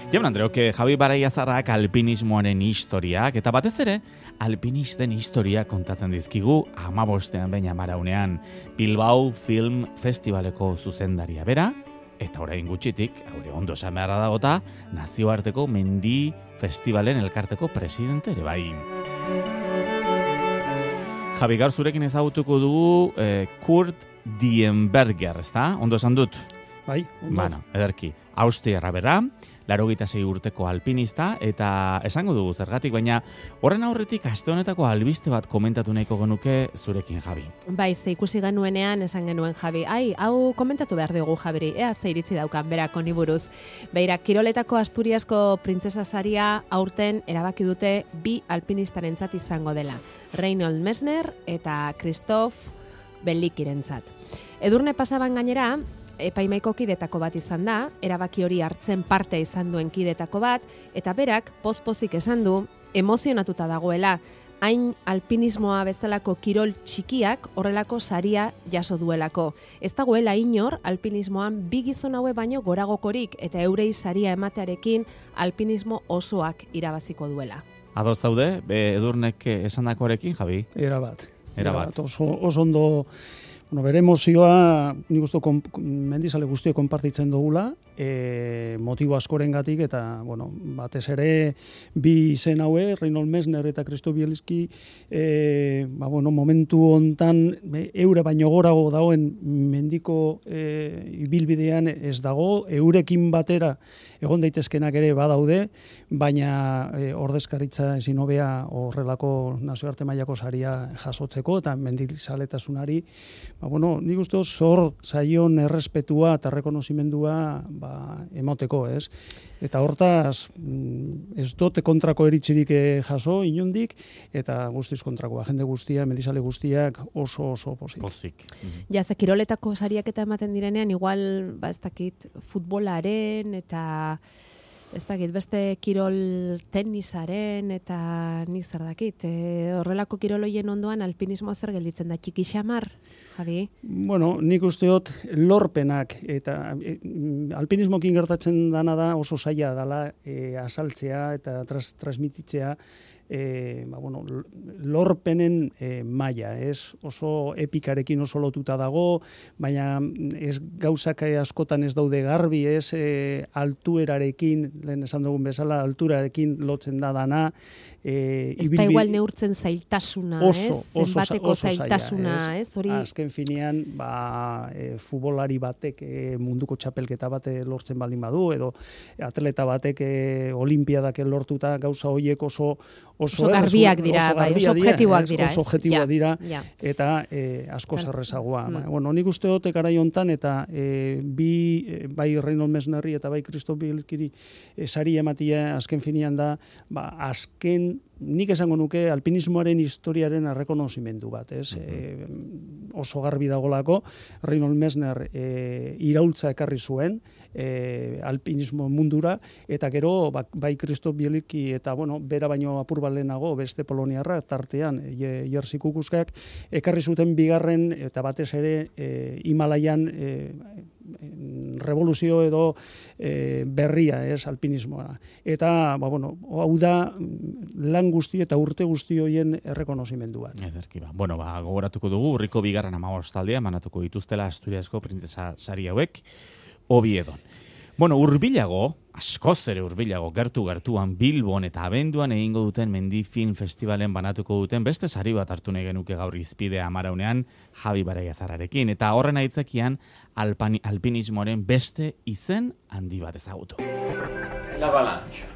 Jaun Andreok, Javi Baraiazarrak alpinismoaren historiak, eta batez ere, alpinisten historia kontatzen dizkigu 15ean behin amaraunean Bilbao Film Festivaleko zuzendaria bera, eta orain gutxitik, haure ondo esan beharra dagota, nazioarteko mendi festivalen elkarteko presidente ere bai. Javi, gaur zurekin ezagutuko dugu Kurt Dienberger, ezta? Ondo esan dut? Bai, ondo. Bueno, ederki. Austriarra bera, 86 urteko alpinista, eta esango dugu zergatik, baina horren aurretik aste honetako albiste bat komentatu nahiko genuke zurekin, Javi. Bai, ze ikusi genuenean esan genuen Javi. Hau komentatu behar dugu Javiri, ea ze iritzi daukan berako ni buruz. Beira, kiroletako Asturiasko printzesa saria aurten erabaki dute bi alpinistarentzat izango dela. Reinhold Messner eta Christoph Bellikirentzat. Edurne pasaban gainera, epaimaiko kidetako bat izan da, erabaki hori hartzen parte izan duen kidetako bat, eta berak pozpozik esan du, emozionatuta dagoela, hain alpinismoa bezalako kirol txikiak horrelako saria jaso duelako. Ez dagoela inor alpinismoan bi gizon haue baino goragokorik eta eurei saria ematearekin alpinismo osoak irabaziko duela. Ados zaude, Edurnek esandakoarekin, Javi? Erabat. Oso ondo. Bueno, bere emozioa nik uste mendizale guztiek konpartitzen dugula, motibo askorengatik eta bueno, batez ere bi izen haue, Reinhold Messner eta Christoph Bielski, momentu hontan eure baino gorago dagoen mendiko ibilbidean ez dago, eurekin batera egon daitezkenak ere badaude, baina ordezkaritza ezin hobea horrelako nazioarte mailako saria jasotzeko eta mendizaletasunari nik uste zor zaion errespetua eta rekonozimendua emoteko, ez? Eta hortaz, ez dute kontrako eritzirik jaso, inondik, eta guztiz kontrakoa. Jende guztia, mendizale guztiak oso pozik. Ja, ze kiroletako sariak eta ematen direnean, igual, ez dakit, futbolaren eta ez dakit, beste kirol tenisaren eta nik zer dakit. Horrelako kiroloien ondoan alpinismoa zer gelditzen da, txiki xamar, Javi? Bueno, nik usteot lorpenak eta alpinismokin gertatzen dana da oso zaila dela azaltzea eta transmititzea lorpenen maila, ez? Oso epikarekin oso lotuta dago, baina ez gauzak askotan ez daude garbi, ez altuerarekin, lehen esan dugun bezala, alturarekin lotzen da dana. Ez da igual neurtzen zailtasuna, ez? Zenbateko zailtasuna, ez? Azken finean, futbolari batek munduko txapelketa bat lortzen baldin badu, edo atleta batek olimpiadak lortuta gauza horiek oso garbiak dira, oso objektiboak dira. Oso objektiboak dira, eta asko zerrezagoa. Nik uste dut garai hontan, eta bai Reinhold Messnerri eta bai Christoph Bielskiri sari ematia azken finean da, azken nik esango nuke alpinismoaren historiaren errekonozimendu bat, ez? Oso garbi dagolako, Reinhold Messner iraultza ekarri zuen alpinismo mundura, eta gero bai Christoph Bielski eta bera baino apur bat lehenago beste poloniarra, tartean Jerzy Kukuskak ekarri zuten bigarren eta batez ere Himalaian revoluzio edo berria, ez, alpinismoa. Eta, hau da lan guzti eta urte guzti horien errekonozimendu bat. Ederki, gogoratuko dugu, urriko bigarren 15 taldea manatuko dituztela Asturiasko printzesa sari hauek, Oviedon. Hurbilago, askoz ere hurbilago, gertuan Bilbon eta abenduan egingo duten Mendi Film Festivalen banatuko duten beste sari bat hartu nahi genuke gaur izpidea amaraunean Javi Baraiazarrarekin. Eta horren aitzakian alpinismoaren beste izen handi bat ezagutu. La avalancha.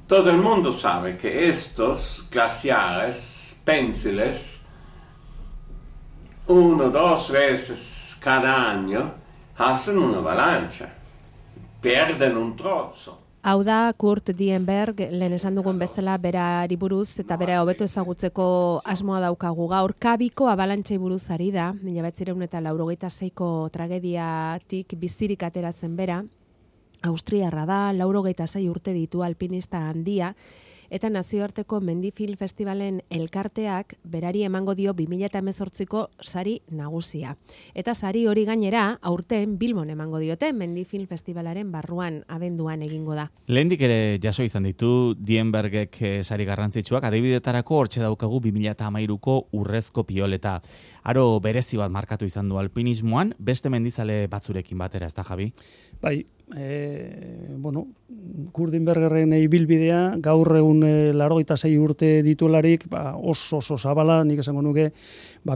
Todo el mundo sabe que estos glaciares, pensiles, 1-2 veces cada año hacen una avalancha, pierden un trozo. Hau da Kurt Dienberg, lehen esan dugun bezala berari buruz eta bera hobeto ezagutzeko asmoa daukagu gaur. Kabiko abalantxei buruz ari da, 1986ko tragediatik bizirik ateratzen bera, Austriarra da, 86 urte ditu alpinista handia, eta nazioarteko Mendifilm Festivalen elkarteak berari emango dio 2018ko sari nagusia. Eta sari hori gainera aurten Bilbon emango diote Mendifilm Festivalaren barruan abenduan egingo da. Lehendik ere jaso izan ditu Dienbergek sari garrantzitsuak, adibidetarako hortxe daukagu 2013ko urrezko pioleta. Aro berezi bat markatu izan du alpinismoan, beste mendizale batzurekin batera, ez da, Javi? Bai, Kurdinbergerren ibilbidea, gaur egun 86 urte dituelarik, oso zabala, nik esango nuke,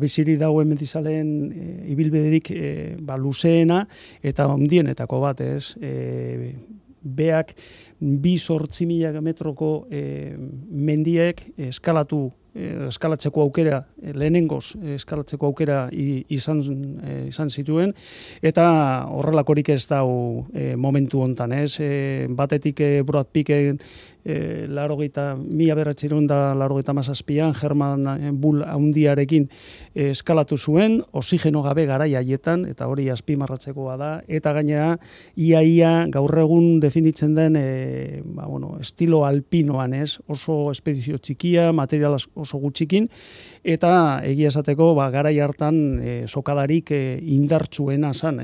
biziri dauen mendizaleen ibilbiderik luzeena eta ondienetako bat, ez? Beak 2.800 metroko mendiek eskalatzeko aukera, lehenengoz eskalatzeko aukera izan zituen, eta horrelakorik ez dau momentu hontan, ez? Batetik Brad Picken 1987an Herman Bull handiarekin eskalatu zuen, oxigeno gabe garai haietan, eta hori azpimarratzekoa da, eta gainera ia gaur egun definitzen den estilo alpinoan, ez? Oso espedizio txikia, material oso gutxikin, eta egia esateko garai hartan sokadarik indartsuena zan,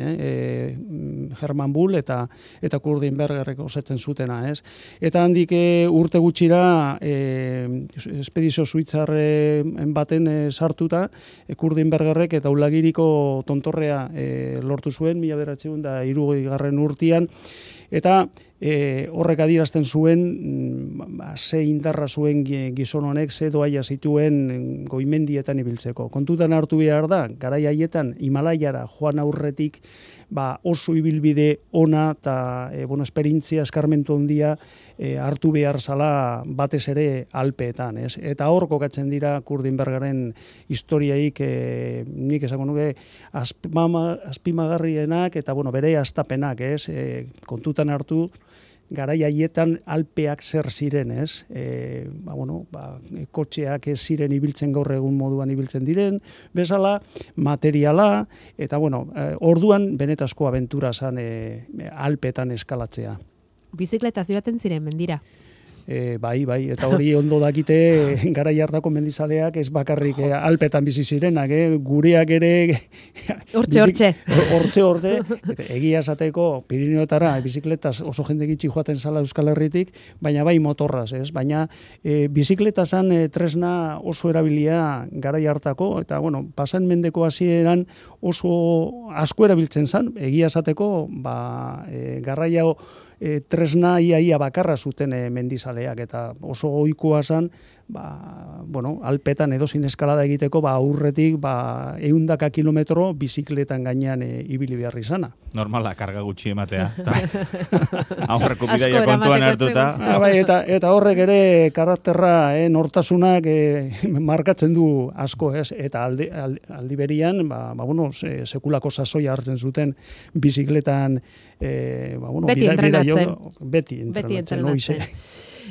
Herman Bull eta Kurdinbergerrek osatzen zutena, ez? Eta handik urte gutxira espedizio suitzarren baten sartuta Kurdinbergerrek eta Ulagiriko tontorrea lortu zuen 1960 urtean, eta horrek adierazten zuen ze indarra zuen gizon honek, ze doaia zituen goimendietan ibiltzeko. Kontutan hartu behar da, garai haietan Himalaiara joan aurretik oso ibilbide ona eta esperientzia eskarmentu handia hartu behar zala batez ere Alpeetan, ez? Eta hor kokatzen dira Kurdinbergeren historiaik nik esango nuke azpimagarrienak eta bere hastapenak, ez? Kontutan hartu garai haietan Alpeak zer ziren, ez? Kotxeak ez ziren ibiltzen gaur egun moduan ibiltzen diren, bezala, materiala, eta orduan benetazko abentura zan Alpeetan eskalatzea. Bizikletaz joaten ziren mendira. Bai, eta hori ondo dakite garai hartako mendizaleak ez bakarrik Alpetan bizi zirenak, gureak ere hortxe. Egia esateko Pirineoetara bizikletaz oso jende gitxi joaten zala Euskal Herritik, baina bai motorraz, ez? Baina bizikletazan tresna oso erabilia garai hartako, eta pasan mendeko hasieran oso asko erabiltzen zan, egia esateko garraia tresna ia bakarra zuten mendizaleak, eta oso ohikoa zen Alpetan edozin eskalada egiteko aurretik 100 kilometro bizikletan gainean ibili behar izana. Normala, karga gutxi ematea. Aurreko bidaia kontuan hartuta. Eta horrek ere karakterra, nortasunak markatzen du asko, ez? Eta aldi berian, sekulako sasoia hartzen zuten bizikletan beti entrenatzen. Beti entrenatzen.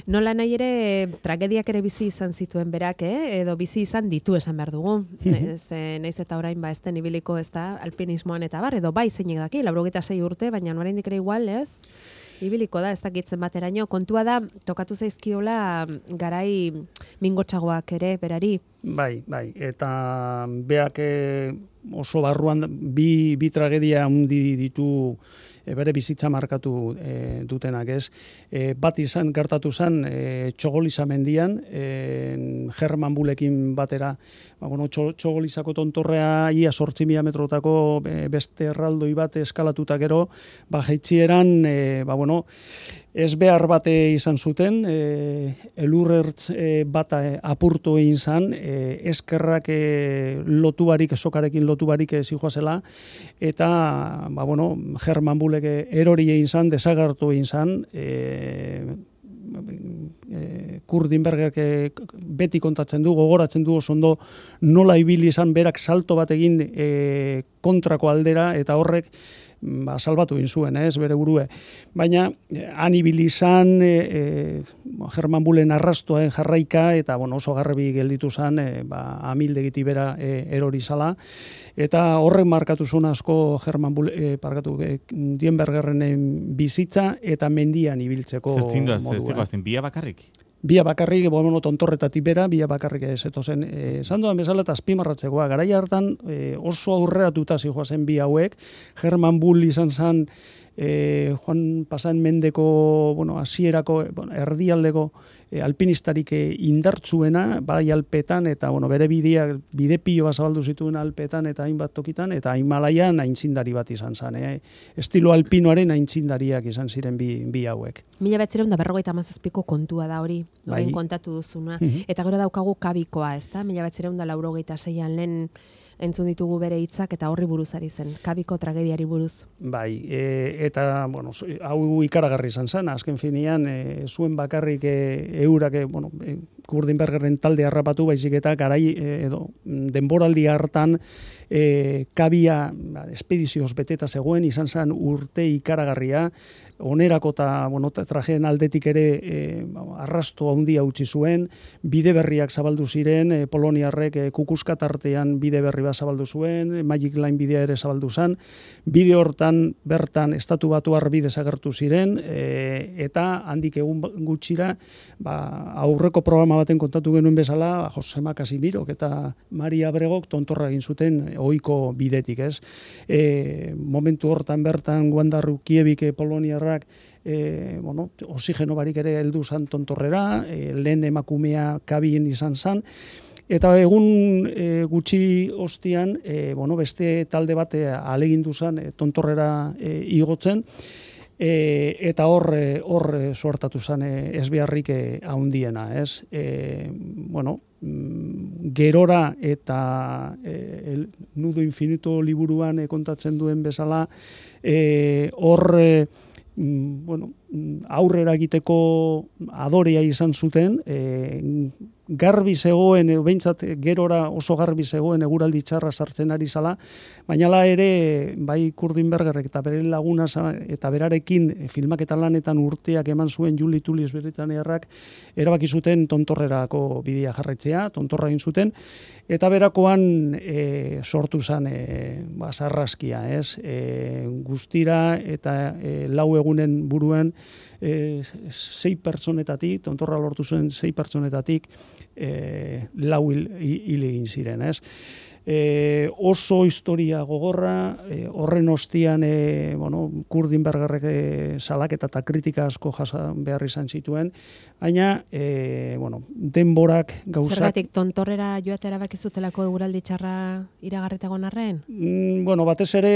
Nola nahi ere, tragediak ere bizi izan zituen berak, edo bizi izan ditu esan behar dugu. Naiz eta orain ez den ibiliko ez da, alpinismoan eta edo bai zeinek daki, 86 urte, baina oraindik ere igual, ez? Ibiliko da, ez dakitzen bateraino. Kontua da, tokatu zaizkiola garai mingotxagoak ere berari. Bai, eta beak oso barruan bi tragedia handi ditu bere bizitza markatu dutenak, ez? Bat gertatu zen Txogoliza mendian, Herman Bullekin batera, Txogolizako tontorrea ia 8.000 metrotako beste erraldoi bat eskalatuta gero, jaitzieran, ez behar bate izan zuten, elurrertz bat apurtu egin zan, eskerrak lotubarik, sokarekin lotubarik zijoazela, eta, Herman Bullek erori egin zan, desagertu egin zan, Kurdinbergerek beti kontatzen du, gogoratzen du oso ondo nola ibili izan berak salto bat egin kontrako aldera, eta horrek salbatu egin zuen, ez, bere burue. Baina, han ibili izan, Herman Bullen arrastoen jarraika, eta oso garbi gelditu zen, amildegiti bera erori zala, eta horrek markatu zuen asko Herman Bullen, Dienbergerren bizitza, eta mendian ibiltzeko modua. Zertziko, bia bakarrik? Bia bakarrik, tontorretatik bera, bia bakarrik zetozen. Esan duan bezala eta azpimarratzekoa, garai hartan oso aurreratuta zijoazen bi hauek, Herman Bull izan zen, Juan Pasan Mendeko, hasierako, erdialdeko alpinistarik indartzuena, bai Alpetan, eta bere bide pilo bat zabaldu zituen Alpetan eta hainbat tokitan, eta Himalaian aintzindari bat izan zen. Estilo alpinoaren aintzindariak izan ziren bi hauek. 1957ko kontua da hori, orain kontatu duzuna. Eta gero daukagu kabikoa, ez da? 1986an lehen entzun ditugu bere hitzak eta horri buruz ari zen, kabiko tragediari buruz. Bai, eta, hau ikaragarri izan zen, azken finean, zuen bakarrik eurak, Kurdinbergerren talde harrapatu, baizik eta garai, denboraldi hartan, kabia espedizioz beteta zegoen, izan zen urte ikaragarria, onerako eta trajeen aldetik ere arrasto handia utzi zuen, bide berriak zabaldu ziren, poloniarrek kukuskatartean bide berri bat zabaldu zuen, Magic Line bidea ere zabaldu zen, bide hortan bertan estatu batuar bide zagertu ziren, eta handik egun gutxira, aurreko programa baten kontatu genuen bezala, Josema Casimirok eta Maria Abregok tontorra egin zuten ohiko bidetik, ez? Momentu hortan bertan Guandarru Kiebik poloniarrak oxigeno barik ere heldu zan tontorrera, lehen emakumea kabien izan zan, eta egun gutxi ostian, beste talde bat ahalegindu zan tontorrera igotzen, eta hor suertatu zen ezbeharrik handiena, ez? Gerora eta Nudo Infinito liburuan kontatzen duen bezala, hor aurrera egiteko adorea izan zuten, garbi zegoen, behintzat gerora oso garbi zegoen eguraldi txarra sartzen ari zala, baina ere bai Kurdinbergerrek eta bere laguna eta berarekin filmaketa lanetan urteak eman zuen Juli Tulis Britaniarrak erabaki zuten tontorrerako bidea jarraitzea, tontorra egin zuten, eta berakoan sortu zen sarraskia, ez? Guztira eta 4 egunen buruan 6 pertsonetatik, tontorra lortu zuen 6 pertsonetatik 4 hil egin ziren, ez? Oso historia gogorra, horren ostian Kurdinbergerrek salaketa eta kritika asko jasan behar izan zituen, baina denborak gauzak... Zergatik tontorrera joatera bakizutelako eguraldi txarra iragarritagon arren? Batez ere,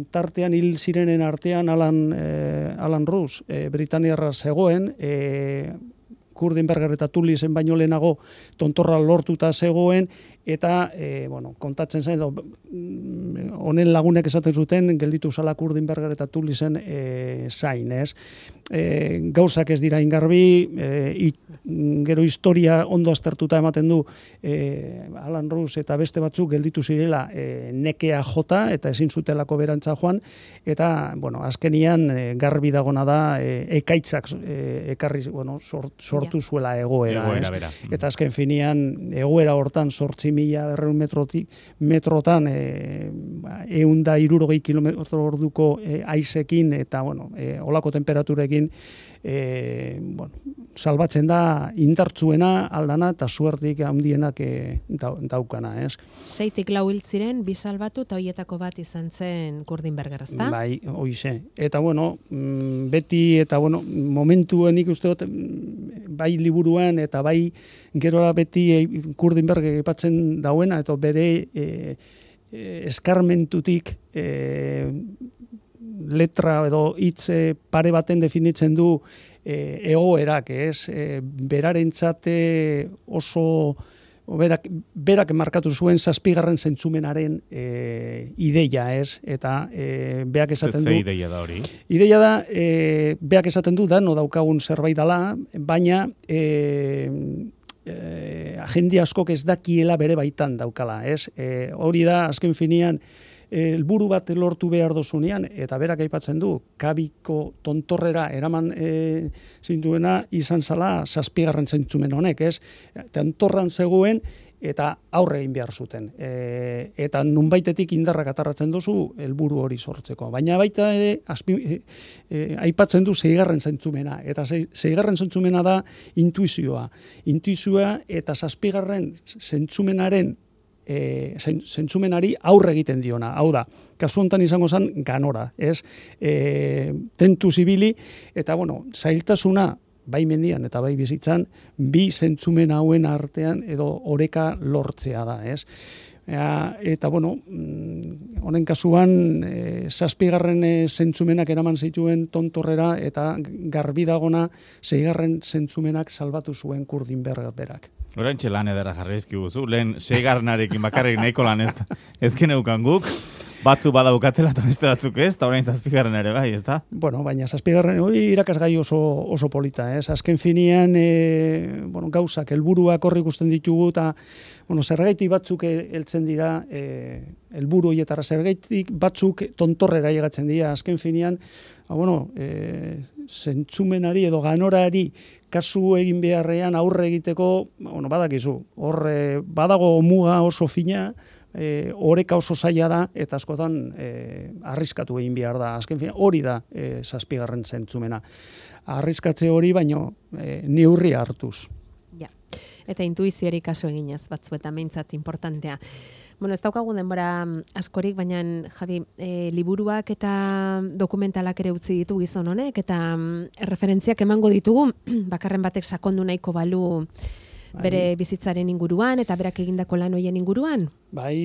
tartean hil zirenen artean Alan Rus, Britaniarra zegoen, Kurdinberger eta Tulisen baino lehenago tontorra lortuta zegoen, eta kontatzen zen, honen lagunek esaten zuten, gelditu zala Kurdinberger eta Tulisen zain, ez? Gauzak ez dira ingarbi, gero historia ondo aztertuta ematen du Alan Rus eta beste batzuk gelditu zirela nekea jota, eta ezin zutelako berantza joan, eta azkenian garbi dagona da ekaitzak ekarri sortu zuela egoera, eta azken finean egoera hortan 8.200 metrotan 160 km/h haizekin eta olako temperaturekin salbatzen da indartzuena aldana eta suertik handienak daukana, ez? 6tik 4 hil ziren, 2 salbatu eta hoietako bat izan zen Kurdinberger, ezta? Bai, hoize. Eta beti eta momentuen ikuste dut bai liburuan eta bai gerora beti Kurdinberger aipatzen dauena eta bere eskarmentutik letra edo hitz pare baten definitzen du egoerak, ez? Berarentzat oso berak markatu zuen 7. zentzumenaren ideia, ez? Eta beak esaten du... Ze ideia da hori? Ideia da, beak esaten du da, no daukagun zerbait dala, baina jende askok ez dakiela bere baitan daukala, ez? Hori da, azken finean, helburu bat lortu behar dozunean, eta berak aipatzen du, kabiko tontorrera eraman zintuena izan zala 7. zentzumen honek, ez? Tontorran zegoen, eta aurre egin behar zuten. Eta nunbaitetik indarrak atarratzen duzu helburu hori sortzeko. Baina baita ere aipatzen du 6. zentzumena. Eta 6. zentzumena da intuizioa. Intuizioa eta 7. zentzumenaren zentzumenari aurre egiten diona. Hau da, kasu honetan izango zen ganora, ez? Tentuz ibili, eta bueno, zailtasuna bai mendian eta bai bizitzan, bi zentzumen hauen artean edo oreka lortzea da, ez? Eta, bueno, honen kasuan, 7. zentzumenak eraman zituen tontorrera eta garbi dagona 6. zentzumenak salbatu zuen Kurdinberg berak. Horantxe lan edera jarrizki guzu, lehen 6. bakarrik nahiko lan ez geneukan guk, batzu badaukatela eta beste batzuk ez, eta orain 7. ere bai, ez da? Bueno, baina 7. hori irakasgai oso polita, ez? Azken finean, gauzak, helburuak horri ikusten ditugu, eta zergaitik batzuk heltzen dira, helburu horietara zergaitik batzuk tontorrera llegatzen dira, azken finean, zentzumenari edo ganorari kasu egin beharrean aurre egiteko, badakizu, hor badago muga oso fina, oreka oso zaila da, eta askotan arriskatu egin behar da. Azken fina, hori da 7. zentzumena. Arriskatze hori, baino neurria hartuz. Ja, eta intuiziori kasu eginez, batzuetan meintzat importantea. Bueno, ez daukagun denbora askorik, baina Javi, liburuak eta dokumentalak ere utzi ditu gizon honek, eta referentziak emango ditugu, bakarren batek sakondu nahiko balu bere bizitzaren inguruan, eta berak egindako lan hoien inguruan? Bai,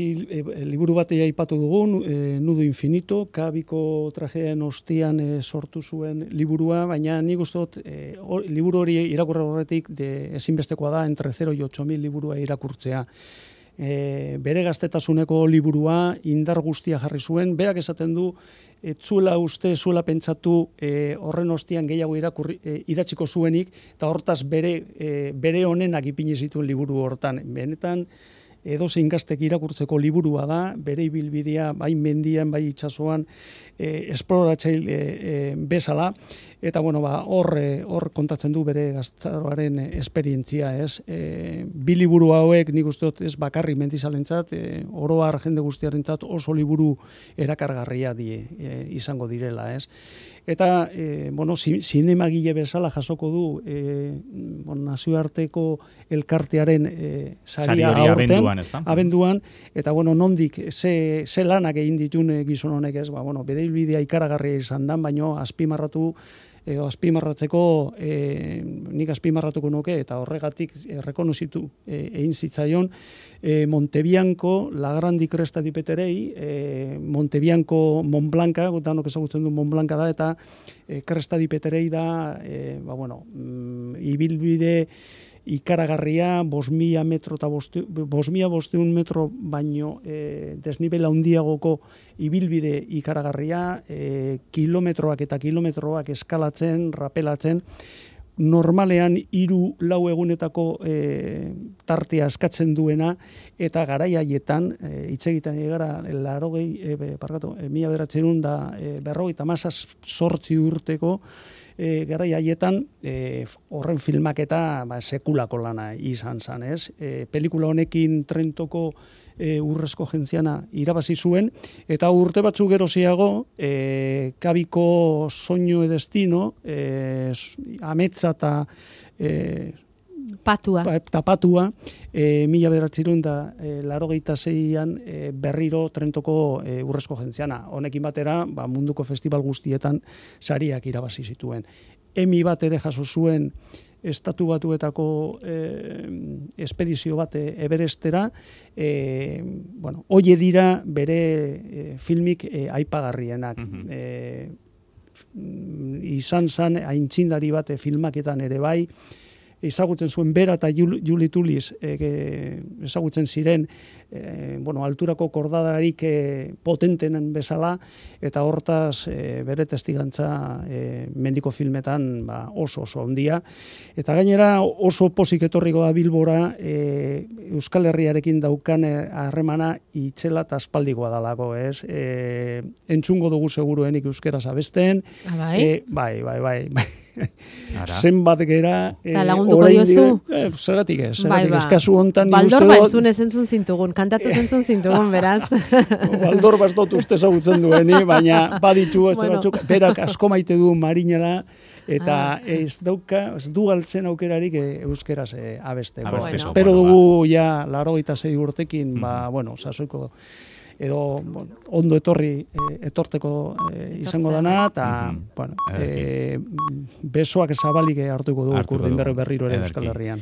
liburu bat aipatu dugun, Nudo Infinito, Kabiko tragediaren ostian sortu zuen liburua, baina nik uste dut, liburu hori irakurri horretik ezinbestekoa da, entre 0 y 8.000 liburua irakurtzea. Bere gaztetasuneko liburua indar guztia jarri zuen, berak esaten du, zuela pentsatu horren ostian gehiago idatziko zuenik, eta hortaz bere honenak ipini zituen liburu hortan. Benetan, edozein gaztek irakurtzeko liburua da, bere ibilbidea, bai mendian, bai itsasoan, esploratzaile bezala, eta hor kontatzen du bere gaztaroaren esperientzia, ez? Bi liburu hauek nik uste dut ez bakarrik mendizalentzat, oro har jende guztiarentzat oso liburu erakargarria izango direla, ez? Eta, zinemagile bezala jasoko du nazioarteko elkartearen saria aurten, abenduan, eta nondik ze lanak egin ditun gizon honek ez, bere hilbidea ikaragarria izan dan, baino azpimarratzeko nik azpimarratuko nuke, eta horregatik rekonozitu egin zitzaion Montebianco, La Grandi Cresta di Peterei, Montebianco Mont Blanca, danok ezagutzen du Mont Blanca da, eta Cresta di Peterei da, ibilbide ikaragarria, 5.000 metro eta 5.500 metro baino desnibela handiagoko ibilbide ikaragarria, kilometroak eta kilometroak eskalatzen, rapelatzen, normalean 3-4 egunetako tartea eskatzen duena, eta garai haietan, hitz egiten gara, 1958 urteko, garai haietan horren filmaketa sekulako lana izan zen, ez? Pelikula honekin Trentoko urrezko jentziana irabazi zuen, eta urte batzuk geroziago, Kabiko Soño e Destino, ametsa eta patua, 1986an berriro Trentoko urrezko jentziana. Honekin batera, munduko festival guztietan sariak irabazi zituen. Emmy bat ere jaso zuen Estatu Batuetako espedizio bat Everestera, hoie dira bere filmik aipagarrienak. Izan zan aintzindari bat filmaketan ere bai, ezagutzen zuen bera eta Julie Tulis ezagutzen ziren alturako kordadarik potentenen bezala, eta hortaz bere testigantza mendiko filmetan oso handia. Eta gainera oso pozik etorriko da Bilbora Euskal Herriarekin daukan harremana itzela eta aspaldikoa dalako, ez? Entzungo dugu seguruenik euskeraz abesten. Bai? Bai. zenbat gera... lagunduko diozu? Zeratik ez, Bai, kasu hontan... Baldor entzun ez entzun zintugun, kantatu entzun zintugun, beraz. Baldor bastot uste ezagutzen dueni, baina baditu ez batzuk, berak asko maite du marinela, eta ez du galtzen aukerarik euskeraz abesteko. Espero dugu ja 86 urtekin, sasoiko edo ondo etorteko izango dana, eta besoak zabalik hartuko du Kurdin berriro ere Euskal Herrian.